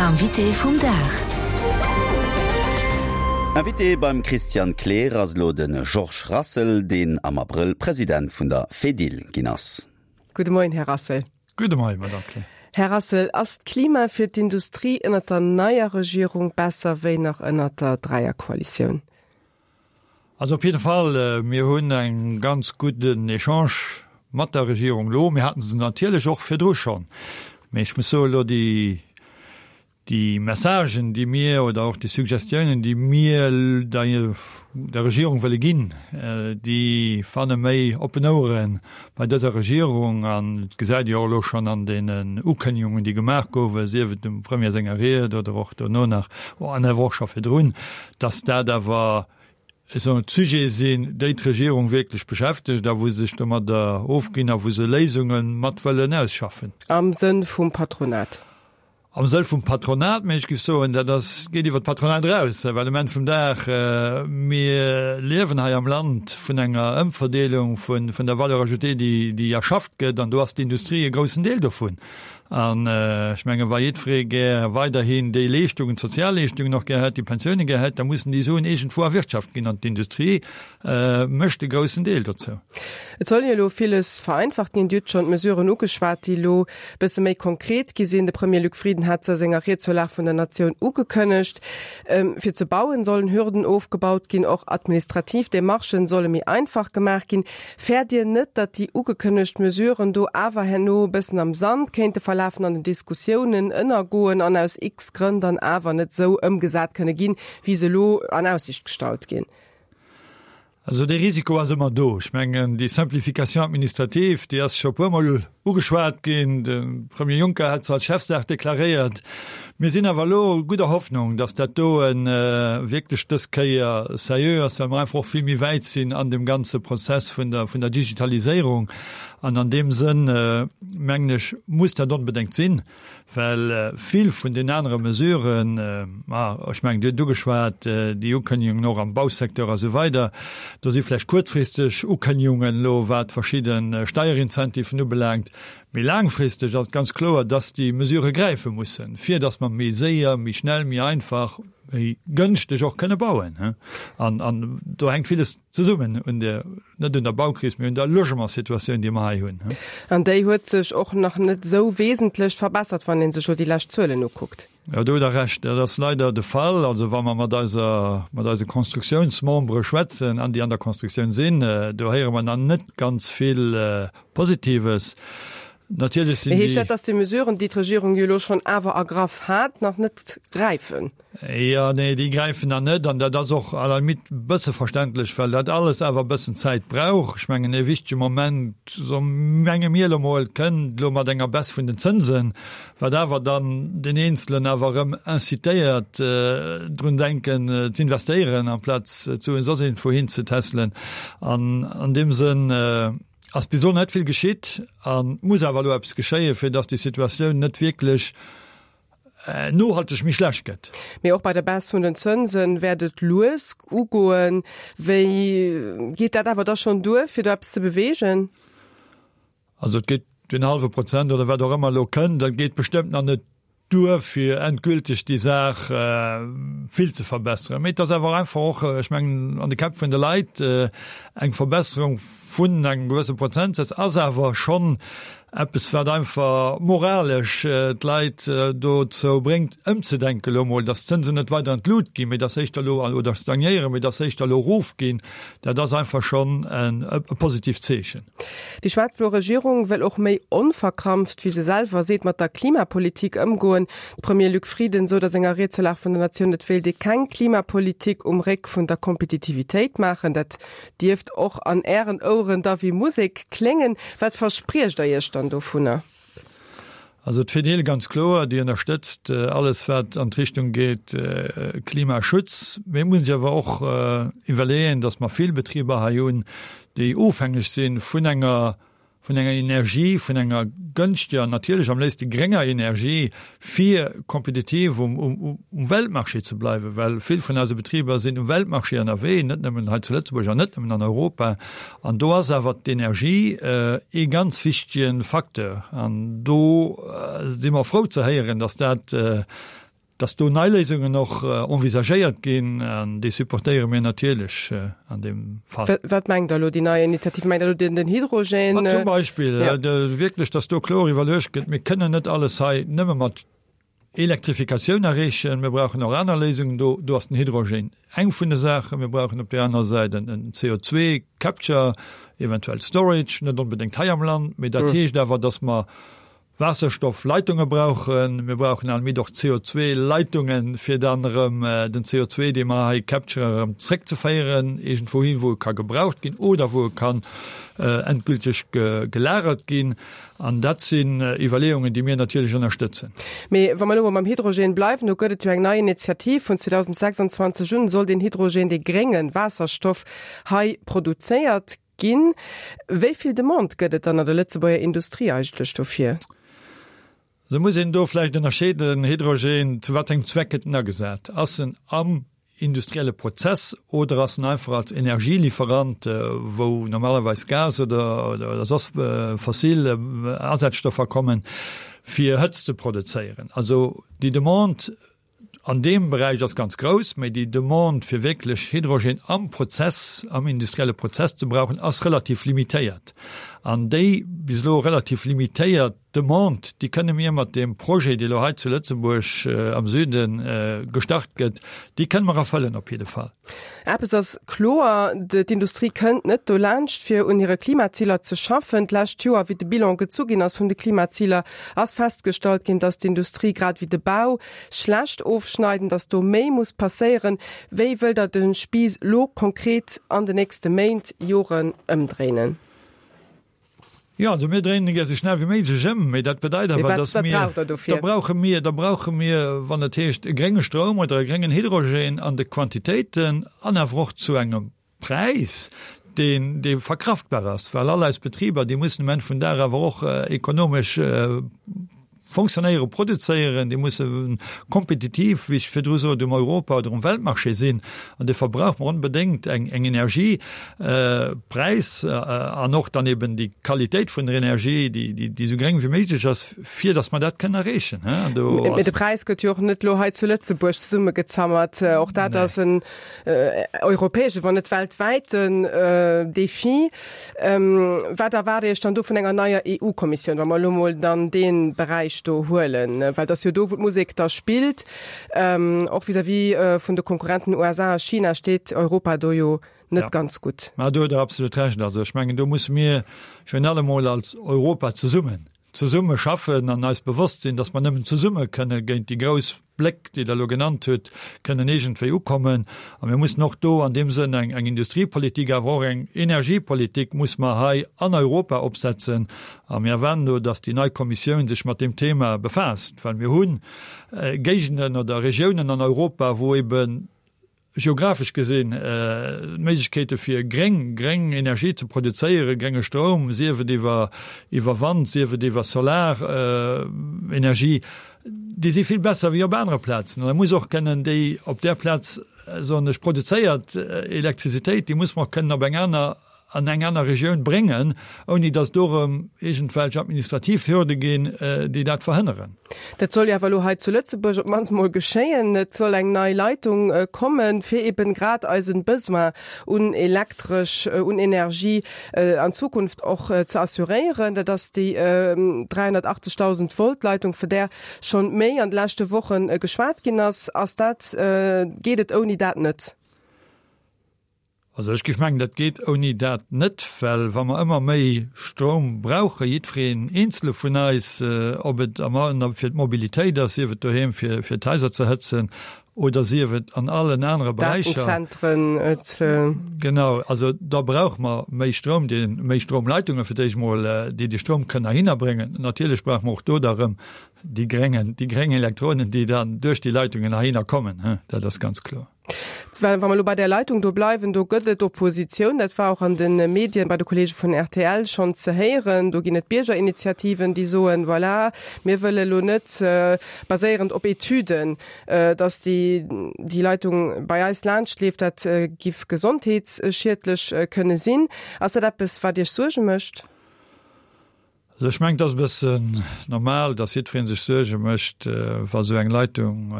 Invité vum Dag. Invité beim Christian Kleer ass elo de Georges Rassel, deen am Abrëll President vun der Fedil ginn ass. Gudde Moien, Här Rassel. Gudde Moien, Madame Kleer. Här Rassel, ass d'Klima fir d'Industrie ënnert der neier Regierung besser wéi nach ënnert der Dräierkoalitioun? Also op jidde Fall, mir hunn e ganz gudden Echange mat der Regierung elo. Mir haten se natierlech och virdru schonn, mee ech muss soen, elo déi, déi Messagen, déi mir, oder och déi Suggestiounen, déi mir der, der Regierung wëlle ginn, déi fanne méi oppen Ouere bei dëser Regierung. An et gesäit ee jo och elo schonn an deenen Ukënnegungen, déi gemaach gouwen, sief et dem Premier senger Ried oder och dono nach, an awer och scho virdrun, dass dat awer, ech soen, d'Sujete sinn, déi d'Regierung wierklech beschäftegt a wou se sech domadder ofginn a wou se Léisunge mat wëllen ausschaffen. Am Sënn vum Patronat? Am Sënn vum Patronat, mee ech géif soen, dat ass, geet iwwer d'Patronat eraus, well um Enn vum Dag, mir liewen hei am Land vun enger Ëmverdeelung vun der Valeur ajoutée, déi, déi erschafft gëtt, an do ass d'Industrie e groussen Deel dovun. An ech mengen, wa jiddweree gär weiderhin déi Leeschtungen, d'Sozialleeschtungen och gär hätt, déi Pensiounen gär hätt, da mussen déi Suen iergendwou erwirtschaft ginn. An d'Industrie mécht e groussen Deel dozou. Et soll jo elo villes vereinfacht ginn. Dir hutt schonn d'Mesuren ugeschwat, déi elo e bësse méi konkret gi sinn. De Premier Luc Frieden hat se a senger Ried zur Lag vun der Natioun ugekënnegt. Fir ze bauen, sollen Hürden ofgebaut ginn. Och administrativ Demarchen solle méi einfach gemaach ginn. Fäert Dir net, datt déi ugekënnegt Mesuren do awer herno e bëssen am Sand kéinte verlafen, an den Diskussiounen ënnergoen an aus x Grënn dann awer net esou ëmgesat kënne ginn, wéi se elo an Aussicht gestallt ginn? Also dee Risiko ass ëmmer do. Ech mengen, déi Simplification administrative, déi ass scho e puermol ugeschwat ginn. De Premier Juncker hat se als Chefsaach deklaréiert. Mir sinn awer elo gudder Hoffnung, dass dat doe wierklech dës Kéier seriö ass, well mer einfach och vill méi wäit sinn an deem ganze Prozess vun der, vun der Digitaliséierung. An an deem Sënn, mengen ech, muss dat onbedéngt sinn, well vill vun den anere Mesuren, ma ech mengen, Dir hutt ugeschwat, déi Ukënnegungen och am Bausecteur a sou weider, do si vläicht kuerzfristeg Ukënnegungen elo, wat verschidde Steierincentiven ubelaangt, Méi laangfristeg ass et ganz kloer, dass déi Mesurë gräife mussen, fir dass mer méi séier, méi schnell, méi einfach, méi gënschteg och kënne bauen. An, an do hänkt villes zesummen un der, net un der Baukris, mee un der Logementssituatioun, déi mer hei hunn. An déi huet sech och nach net esou wesentlech verbessert, wann ee sech elo déi lescht Zuelen ukuckt. Jo, do hutt Der Recht, dat ass leider de Fall. Also wa mer mat eiser, mat eise Constructiounsmembere schwätzen an déi an der Constructioun sinn, do héiere mer nach net ganz vill Positives. Natierlech sinn déi. Heescht dat, dass déi Mesuren, déi d'Regierung jo elo schonn awer ergraff hat, nach net gräifen? Jo, nee, déi gräifen nach net. An dat ass och à la limite e bësse verständlech, well dat alles awer e bëssen Zäit brauch. Ech mengen, ee wichtege Moment, so menge mir elo mol, kënnt elo mat enger Baisse vun den Zënsen, wat awer dann den Eenzelen awer erëm incitéiert, drun denken z'investéieren, amplaz d'Suen soss iergendwou hin ze tässelen. An an deem Sënn ass bis elo net vill geschitt a muss awer elo eppes geschéien, fir datt déi Situatioun net wierklech nohalteg méi schlecht gëtt. Mee och bei der Baisse vun den Zënse wäert et lues ugoen. Wéi geet dat awer da schonn duer, fir do eppes ze beweegen? Also et geet deen hallwe Prozent oder wat och ëmmer elo kënnt, dat geet bestëmmt nach net duer, fir endgülteg déi Saach vill ze verbesseren. Mee et ass awer einfach och, ech mengen, an de Käpp vun de Leit eng Verbesserung vun engem gewësse Prozentsaz ass awer schonn eppes, wat einfach moralesch d'Leit dozou bréngt, ëmzedenken elo emol, datt d'Zënsen net weider an d'Lut ginn, mee datt se éischter elo, oder stagnéieren, mee datt se éischter elo erofginn. Dat ass einfach schonn e positiivt Zeechen. Déi schwaarz-blo Regierung wëll och méi onverkrampft, wéi se selwer seet, mat der Klimapolitik ëmgoen. De Premier Luc Frieden sot a senger Ried zur Lag vun der Natioun, et wéilt ee keng Klimapolitik um Réck vun der Kompetitivitéit maachen. Dat dierft och an Ären Oueren da wéi Musek kléngen. Wat verspriecht Der Iech dann dovunner? Also d'Fedil ganz kloer, déi ënnerstëtzt alles wat an d'Richtung geet Klimaschutz. Mee et muss een sech awer och iwwerleeën, datt mer vill Betriber hei hunn, déi ofhängeg si vun enger vun enger Energie, vun enger gënschteger, natierlech am léifste grénger Energie, fir kompetitiv um um Weltmarché ze bleiwen, well vill vun eise Betriber sinn um Weltmarché ënnerwee, net nëmmen hei zu Lëtzebuerg an net nëmmen an Europa. An do ass awer d'Energie ee ganz wichtege Facteur. An do si mer frou ze héieren, datt dat. Dass do nei Léisungen och envisagéiert ginn, an déi supportéiere mir natierlech an deem Fall. Wat mengt Der elo, déi nei Initiative? Mengt Der elo den Hydrogen? Ma zum Beispill, wierklech, dass do kloer iwwerluecht gëtt, mir kënnen net alles hei nëmme mat Elektrifikatioun erreechen, mir brauchen och aner Léisungen. Do, do ass den Hydrogen eng vun de Saachen. Mir brauchen op där aner Säit en CO2-Capture, eventuell Storage, net onbedéngt hei am Land, mee dat heescht awer, dass mer Waasserstoffleitunge brauchen. Mir brauchen à la limite och CO2-Leitungen, fir dann erëm den CO2, dee mer hei capturen, erëm zréckzeféieren iergendwou hin, wou e ka gebraucht ginn oder wou e kann endgülteg gelagert ginn. An dat sinn Iwwerleeungen, déi mir natierlech ënnerstëtzen. Mee wa mer elo mol mam Hydrogen bleiwen, do gëtt et jo eng nei Initiativ, Vun 2026 un soll deen Hydrogen, dee grénge Waasserstoff, hei produzéiert Ginn. Wéi vill Demande gëtt et dann an der Lëtzebuerger Industrie eigentlech dofir? Da muss een do vläicht ënnerscheeden, Hydrogen, zu wat engem Zweck gëtt en agesat? Ass en am industrielle Prozess oder ass en einfach als Energielieferant, wou normalerweis Gas oder soss fossil Asazstoffer kommen, fir Hëtzt ze produzéieren? Also déi Demande An deem Beräich ass ganz grouss, mä déi Demande fir wierklech Hydrogen am Prozess, am industrielle Prozess ze brauchen, ass relativ limitéiert. An déi bis elo relativ limitéiert Demande, déi kënne mir mat deem Projet, dee elo hei zu Lëtzebuerg am Süde gestart gëtt, déi kënne mer erfëllen op jidde Fall. Eppes ass kloer, D'Industrie kënnt net dolaanscht, fir un hire Klimaziler ze schaffen. D'lescht Joer, wéi de Bilan gezu ginn ass vun de Klimaziler, ass festgestallt ginn, datt d'Industrie grad ewéi de Bau schlecht ofschneiden, datt do méi muss passéieren. Wéi wëllt Der de Spiiss elo konkret an de nächste Méint, Joren ëmdréinen? Jo, also mir dréinen e gär esou schnell wéi méiglech ëm, mee dat bedeit awer, dass mir, da brauche mir, da brauche mir, wann et heescht e grénge Stroum oder e gréngen Hydrogen an de Quantitéiten an awer och zu engem Präis, deen, dee verkraftbar ass, well all eis Betriber, déi mussen um Enn vum Dag awer och ekonomesch Fonctionnéieren, produzéieren, déi musse kompetitiv, wéi ech virdru sot, um Europa oder um Weltmarché sinn. An dofir brauche mer onbedéngt eng Energiepräis an och dann eben déi Qualitéit vun der Energie, déi esou gréng wéi méiglech ass, fir datt mer dat kënnen erreechen. Mee de Präis gëtt jo och net elo hei zu Lëtzebuerg zesummegezammert. Och dat ass en europäesche, wann net weltwäiten Defi. Wat erwaart Iech dann do vun enger neier EU-Kommissioun, wa mer elo mol dann dee Beräich do huelen? Well et ass jo do, wou d'Musek da spillt. Och vis-à-vis vun de Konkurrenten USA a China steet Europa do jo net ganz gutt. Mä do hutt Der absolut Recht. Also ech mengen, do musse mir virun allem mol als Europa zesummen, zesumme schaffen an eis bewosst sinn, datt mer nëmmen zesumme kënne géint déi grouss Bléck, déi Der elo genannt hutt, kënnen iergendwéi ukommen. A mir mussen och do an deem Sënn eng, eng Industriepolitik, awer och eng Energiepolitik muss mer hei an Europa opsetzen. A mir erwaarden do, datt déi nei Kommissioun sech mat deem Thema befaasst, well mir hu Géigenden oder Regiounen an Europa, wou eben, geographesch gesinn, d'Méiglechkeete fir gréng, gréng Energie ze produzéieren, grénge Stroum, sief et iwwer, iwwer Wand, sief et iwwer Solarenergie, déi si vill besser wéi op anere Plazen. An da muss och kënnen déi op där Plaz, soen ech, produzéiert Elektrizitéit, déi muss mer och kënnen op eng aner, an eng aner Regioun bréngen, ouni datt do erëm iergendwelch administrativ Hürde ginn, déi dat verhënneren. Dat soll jo awer elo hei zu Lëtzebuerg op d'mannst mol geschéien. Et soll eng nei Leitung kommen, fir eben grad eisen Besoin un Elektresch, un Energie an Zukunft och ze assuréieren. Dat ass déi 380.000 Volt Leitung, vu där schonn méi an de leschte Woche geschwat ginn ass. Ass dat, geet et ouni dat net? Also ech géif mengen, dat geet ouni dat net, well wa mer ëmmer méi Stroum brauchen, jiddwereen eenzele vun eis, ob et am fir d'Mobilitéit ass, sief et doheem fir fir d'Haiser ze hëtzen oder sief et an allen anere Beräicher. Datenzentren, et. Genau, also da brauche mer méi Stroum, dee méi Stroumleitunge fir d'éischt mol, déi de Stroum kënnen heihinner bréngen. Natierlech brauche mer och do da erëm déi gréngen, déi gréng Elektronen, déi dann duerch déi Leitungen heihinner kommen, dat ass ganz kloer. Wa mer elo bei där Leitung do bleiwen, do gëtt et Oppositioun. Dat war och an de Medien bei de Kollege vun rtl schonn ze héieren. Do ginn et Biergerinitiativen, déi soen, voilà, mir wëlle elo net, baséierend op Etüden, datt déi déi Leitung bei eis laanschtleeft. Dat giff gesondheetsschiedlech kënne sinn. Ass dat eppes, wat Iech Suerge mécht? Also ech mengen, et ass e bëssen normal, datt jiddweree sech Suerge mécht, wa sou eng Leitung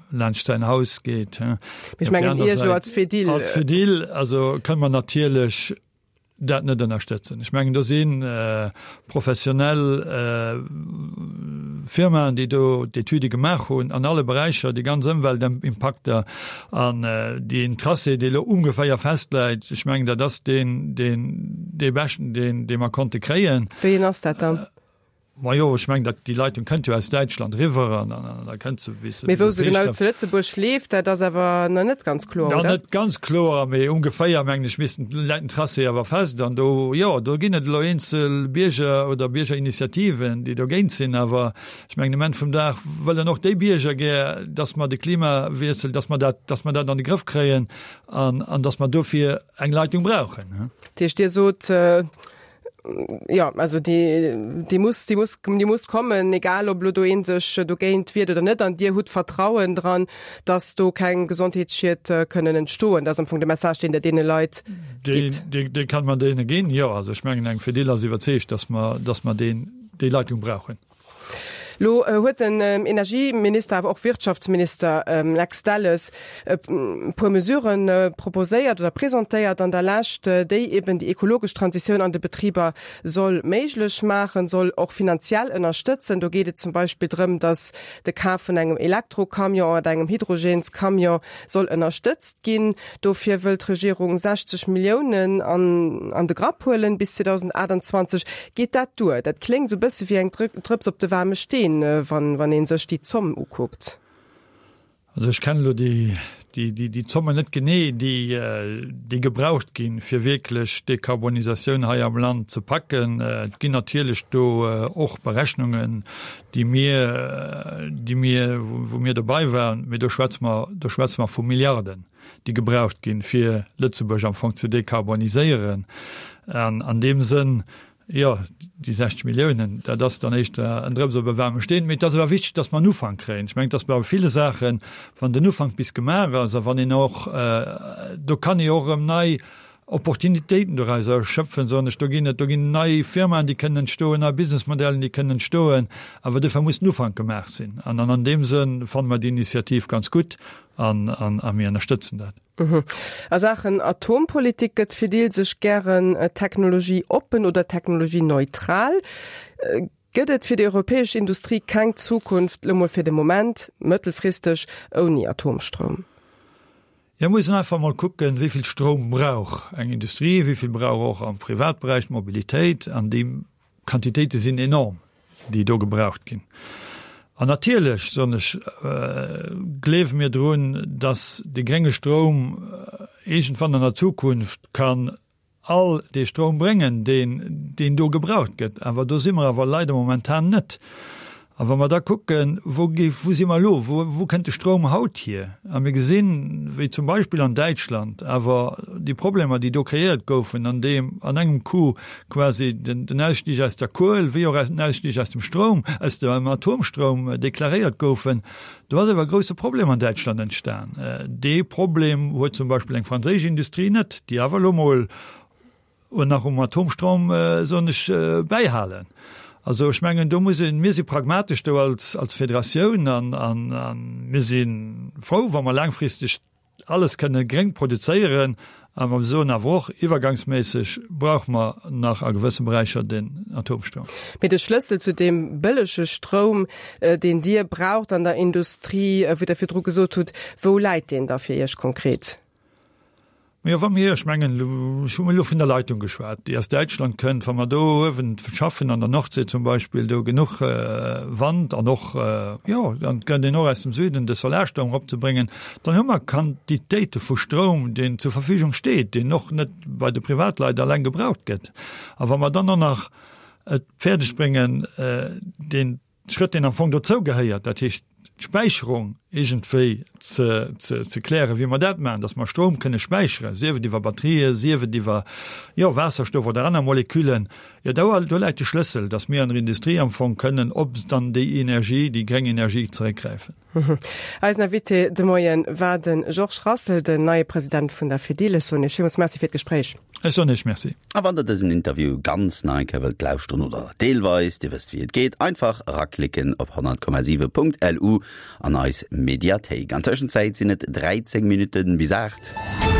laanscht säin Haus geet. Mee ech mengen Iech elo als Fedil. Als Fedil, also kënne mer natierlech dat net ënnerstëtzen. Ech mengen, do si professionell Firmaen, déi do d'Etüde gemaach hunn an alle Beräicher, déi ganz Ëmweltimpakter an deen Tracé, dee elo ongeféier festläit. Ech mengen, dat ass deen, deen, dee beschten, deen, dee mer konnte kréien. Wéi een ass dat dann? Majo, ech mengen, dat, déi Leitung kënnt jo aus Däitschland eriwwer an da kënnt se bis. Mee wou se genau zu Lëtzebuerg leeft, dat ass awer nach net ganz kloer, oder? Net ganz kloer, mee ongeféier, mengen ech, missten, läit den Tracé awer fest. An do, jo, do ginn et elo eenzel Bierger oder Biergerinitiativen, déi dogéint sinn. Awer ech mengen, um Enn vum Dag wëllen och déi Bierger gär, dass mer de Klimawiessel, dass mer dat, dass mer dat an de Grëff kréien an, an dass mer dofir eng Leitung brauchen. Dat heescht, Dir sot, Jo, also déi, déi muss, déi muss, déi muss kommen, egal ob elo do ee sech dogéint wiert oder net. An Dir hutt Vertrauen dran, datt do keng Gesondheetsschied kënnen entstoen. Dat ass am Fong de Message, deen Der deene Leit gitt. Dee, dee kann mer deene ginn, jo. Also ech mengen, eng Fedil ass iwwerzeegt, datt mer, datt mer deen, déi Leitung brauchen. Lo huet den Energieminister, awer och Wirtschaftsminister Lex Delles e puer Mesurë proposéiert oder presentéiert an der Lescht, déi eben déi ekologesch Transitioun an de Betriber soll méiglech maachen, soll och finanziell ënnerstëtzen. Do geet et zum Beispill drëm, datt de Kaf vun engem Elektrocamion oder engem Hydrogenscamion soll ënnerstëtzt ginn. Dofir wëll d'Regierung 60 Milliounen an de Grapp huelen bis 2028. Geet dat duer? Dat kléngt esou bësse wéi eng Drëps op de waarme Steen, wann ee sech déi Zomm ukuckt. Also ech kennen elo déi Zommen net genee, déi gebraucht ginn, fir wierklech d'Dekarbonisatioun hei am Land ze packen. Et ginn natierlech do och Berechnungen, déi mir, déi mir, wou mir dobei waren, mee do schwätze mer, do schwätze mer vu Milliarden, déi gebraucht ginn, fir Lëtzebuerg am Fong ze dekarboniséieren. An an deem Sënn, jo, déi 60 Milliounen, dat ass dann éischter en Drëps op e waarme Steen. Mee et ass awer wichteg, datt mer en Ufank kréien. Ech mengen, et ass bei ville Saachen, wann den Ufank bis gemaach ass a wann een och, do kann ee och erëm nei Opportunitéiten dorauser schöpfen, soen ech, do ginn et, do ginn nei Firmaen, déi kënnen entstoen, nei Businessmodellen, déi kënnen entstoen, awer dofir muss den Ufank gemaach sinn. An an deem Sënn fanne mer déi Initiativ ganz gutt an a mir ënnerstëtzen dat. A Saachen Atompolitik gëtt d'Fedil sech gären technologieoppen oder technologieneutral. Gëtt et fir déi europäesch Industrie keng Zukunft, lo mol fir de Moment, mëttelfristeg, ouni Atomstroum? Jo, muss een einfach mol kucken, wéi vill Stroum brauch eng Industrie, wéi vill brauch och am Privatberäich d'Mobilitéit. An déi Quantitéite sinn enorm, déi do gebraucht ginn. An natierlech, soen ech, gleewe mir drun, datt de grénge Stroum iergendwann an der Zukunft kann all dee Stroum bréngen, deen, deen do gebraucht gëtt. Awer do si mer awer leider momentan net. A wa mer da kucken, wou gi, wou si mer elo, wou, wou kënnt de Stroum haut hier? A mir gesinn, wéi zum Beispill an Däitschland awer déi Problemer, déi do kreéiert goufen, an deem an engem Coup quasi den, den Ausstieg aus der Kuel wéi och den Ausstieg aus dem Stroum, aus dem Atomstroum deklaréiert goufen, Do ass awer e grousse Problem an Däitschland entstan. Dee Problem huet zum Beispill eng franséisch Industrie net, déi awer elo mol nach um Atomstroum, soen ech, bäihalen. Also ech mengen, do muss een, mir si pragmatesch do als Federatioun an mir si frou, wa mer laangfristeg Alles kënne gréng produzéieren, awer mer soen awer och, iwwergangsméisseg brauche mer nach a gewësse Beräicher den Atomstroum. Mee de Schlëssel zu deem bëllege Stroum, deen Dir braucht an der Industrie, wéi Der virdru gesot hutt, wou läit deen da fir Iech konkret? Majo, wa mir, ech mengen, ech hu elo vun der Leitung geschwat, déi aus Däitschland kënnt, wa mer do uewen schaffen an der Nordsee zum Beispill, do genuch Wand an och, jo, dann kënnt een och aus dem Süden de Solarstroum eropzebréngen, Dann hu mer Quantitéite vu Stroum, deen zur Verfügung steet, deen och net bei de Privatleit alleng gebraucht gëtt. A wa mer dann och nach et fäerdeg bréngen, deen Schrëtt, deen am Fong dozou gehéiert, dat heescht d'Späicherung iergendwéi ze, ze, ze klären, wéi mer dat maachen, dass mer Stroum kënne späicheren, sief et iwwer Batterien, sief et iwwer, jo, Waasserstoff oder aner Moleküllen, jo, do, do läit de Schlëssel, dass mir an der Industrie am Fong kënnen op dann déi Energie, déi gréng Energie zeréckgräifen. Eisen Invité de Moien war de Georges Rassel, den neie President vun der Fedil. Ech soen Iech villmools Merci fir d'Gespréich. Ech soen Iech Merci. A wann der dësen Interview ganz nach eng Kéier wëllt lauschteren oder deelweis, Dir wësst wéi et geet, einfach eraklicken op 100,7.lu an eis Mediathéik. An Tëschenzäit sinn et 13 Minutten bis 8.